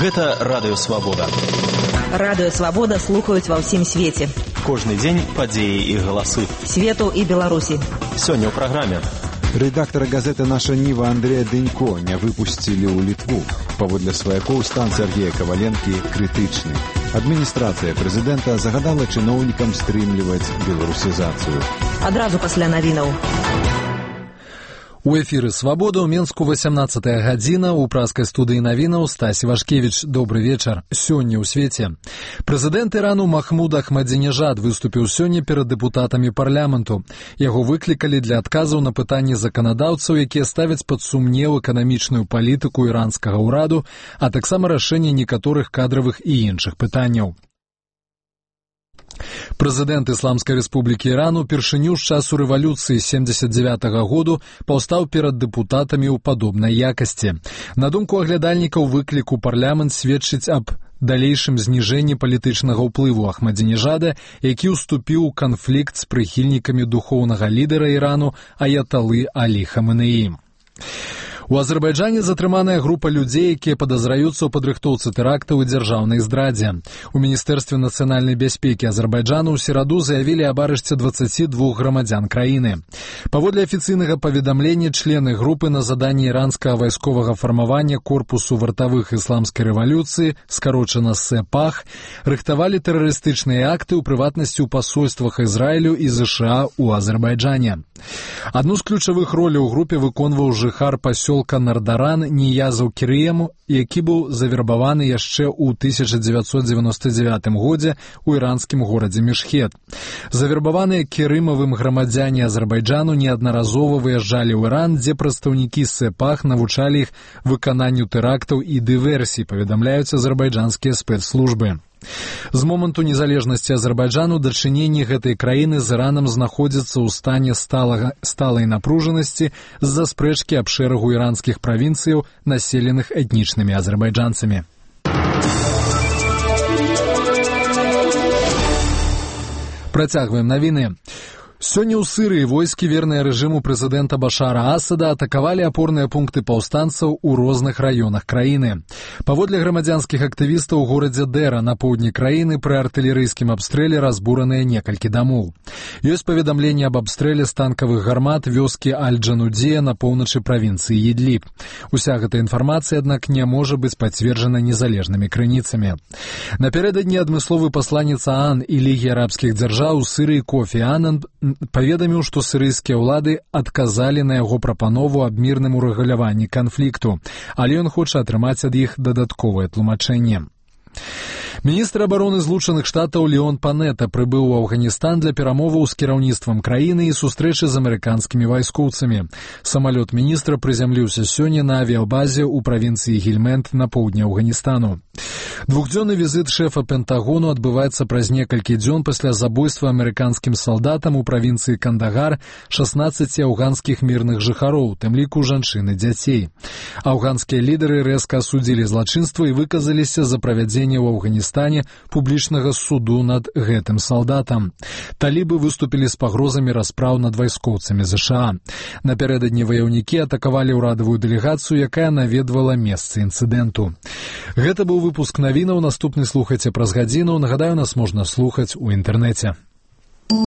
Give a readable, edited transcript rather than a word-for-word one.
Гэта Радыё Свабода. Радыё Свабода слухаюць ва ўсім свеце. Кожны дзень падзеі і галасы. Свету і Беларусі. Сёння ў праграме. Рэдактара газеты «Наша Ніва» Андрэя Дэнько не выпусцілі ў Літву. Паводле сваякоў стан Сергея Каваленкі крытычны. Адміністрацыя прэзідэнта загадала чыноўнікам стрымліваць беларусізацыю. Адразу пасля навінаў. У эфіры «Свабода» ў Менску 18-я гадзіна. У праскай студыі навінаў Стась Івашкевіч. Добры вечар. Сёння ў свеце. Прэзідэнт Ірану Махмуд Ахмадзінежад выступіў сёння перад дэпутатамі парламенту. Яго выклікалі для адказаў на пытанні заканадаўцаў, якія ставяць пад сумнеў эканамічную палітыку іранскага ўраду, а таксама рашэнне некаторых кадравых і іншых пытанняў. Прэзідэнт Ісламскай Рэспублікі Іран упершыню з часу рэвалюцыі 79-го году паўстаў перад дэпутатамі ў падобнай якасці. На думку аглядальнікаў, выклік у парламент сведчыць аб далейшым зніжэнні палітычнага ўплыву Ахмадзінежада, які ўступіў у канфлікт з прыхільнікамі духоўнага лідара Ірану аяталы Алі Хаменеі. У Азербайджане затрыманая група людзей, якія падазраюцца ў падрыхтоўцы тэрактаў і дзяржаўнай здрадзе. У Міністэрстве нацыянальнай бяспекі Азербайджану ў сераду заявілі аб арышце 22 грамадзян краіны. Паводле афіцыйнага паведамлення, члены групы на заданні іранскага вайсковага фармавання корпусу вартавых ісламскай рэвалюцыі, скарочана СЭПАХ, рыхтавалі тэрарыстычныя акты, у прыватнасці ў пасольствах Ізраілю і ЗША ў Азербайджане. Адну з ключавых роляў у групе выконваў жыхар пасёлка Нардаран Ніязаў Кіріем, які быў завербаваны яшчэ ў 1999 годзе ў іранскім горадзе Мешхед. Завербаваныя Кірымавым грамадзяне Азербайджану неаднаразова выязджалі ў Іран, дзе прадстаўнікі СЭПАХ навучалі іх выкананню тэрактаў і дыверсій, паведамляюць азербайджанскія спецслужбы. З моманту незалежнасці Азербайджану дачыненні гэтай краіны з Іранам знаходзяцца ў стане сталай напружанасці з-за спрэчкі аб шэрагу іранскіх правінцыяў, населеных этнічнымі азербайджанцамі. Працягваем навіны. Сёння ў Сырыі войскі, верныя рэжыму прэзідэнта Башара Асада, атакавалі апорныя пункты паўстанцаў у розных раёнах краіны. Паводле грамадзянскіх актывістаў, у горадзе Дэра на поўдні краіны пры артылерыйскім абстрэле разбураныя некалькі дамоў. Ёсць паведамленне аб абстрэле з танкавых гармат вёскі Аль-Джанудзія на поўначы правінцыі Ідліб. Уся гэта інфармацыя, аднак, не можа быць пацверджана незалежнымі крыніцамі. Напярэдадні адмысловы пасланец ААН і Лігі арабскіх дзяржаў у Сырыі Кофі Анан паведаміў, што сырыйскія ўлады адказалі на яго прапанову аб мірным урэгуляванні канфлікту, але ён хоча атрымаць ад іх дадатковае тлумачэнне. Міністр абароны Злучаных Штатаў Леон Панета прыбыў у Афганістан для перамоваў з кіраўніцтвам краіны і сустрэчы з амерыканскімі вайскоўцамі. Самалёт міністра прызямліўся сёння на авіабазе ў правінцыі Гельмэнд на поўдні Афганістану. Двухдзённы візіт шэфа Пентагону адбываецца праз некалькі дзён пасля забойства амерыканскім салдатам у правінцыі Кандагар 16 афганскіх мірных жыхароў, тым ліку жанчын і дзяцей. Афганскія лідары рэзка асудзілі злачынства і выказаліся за правядзенне ў Афганістане публічнага суду над гэтым салдатам. Талібы выступілі з пагрозамі распраў над вайскоўцамі ЗША. Напярэдадні ваяўнікі атакавалі ўрадавую дэлегацыю, якая наведвала месца інцыдэнту. Гэта быў выпуск навінаў. Наступны слухайце праз гадзіну. Нагадаю, нас можна слухаць у інтэрнэце.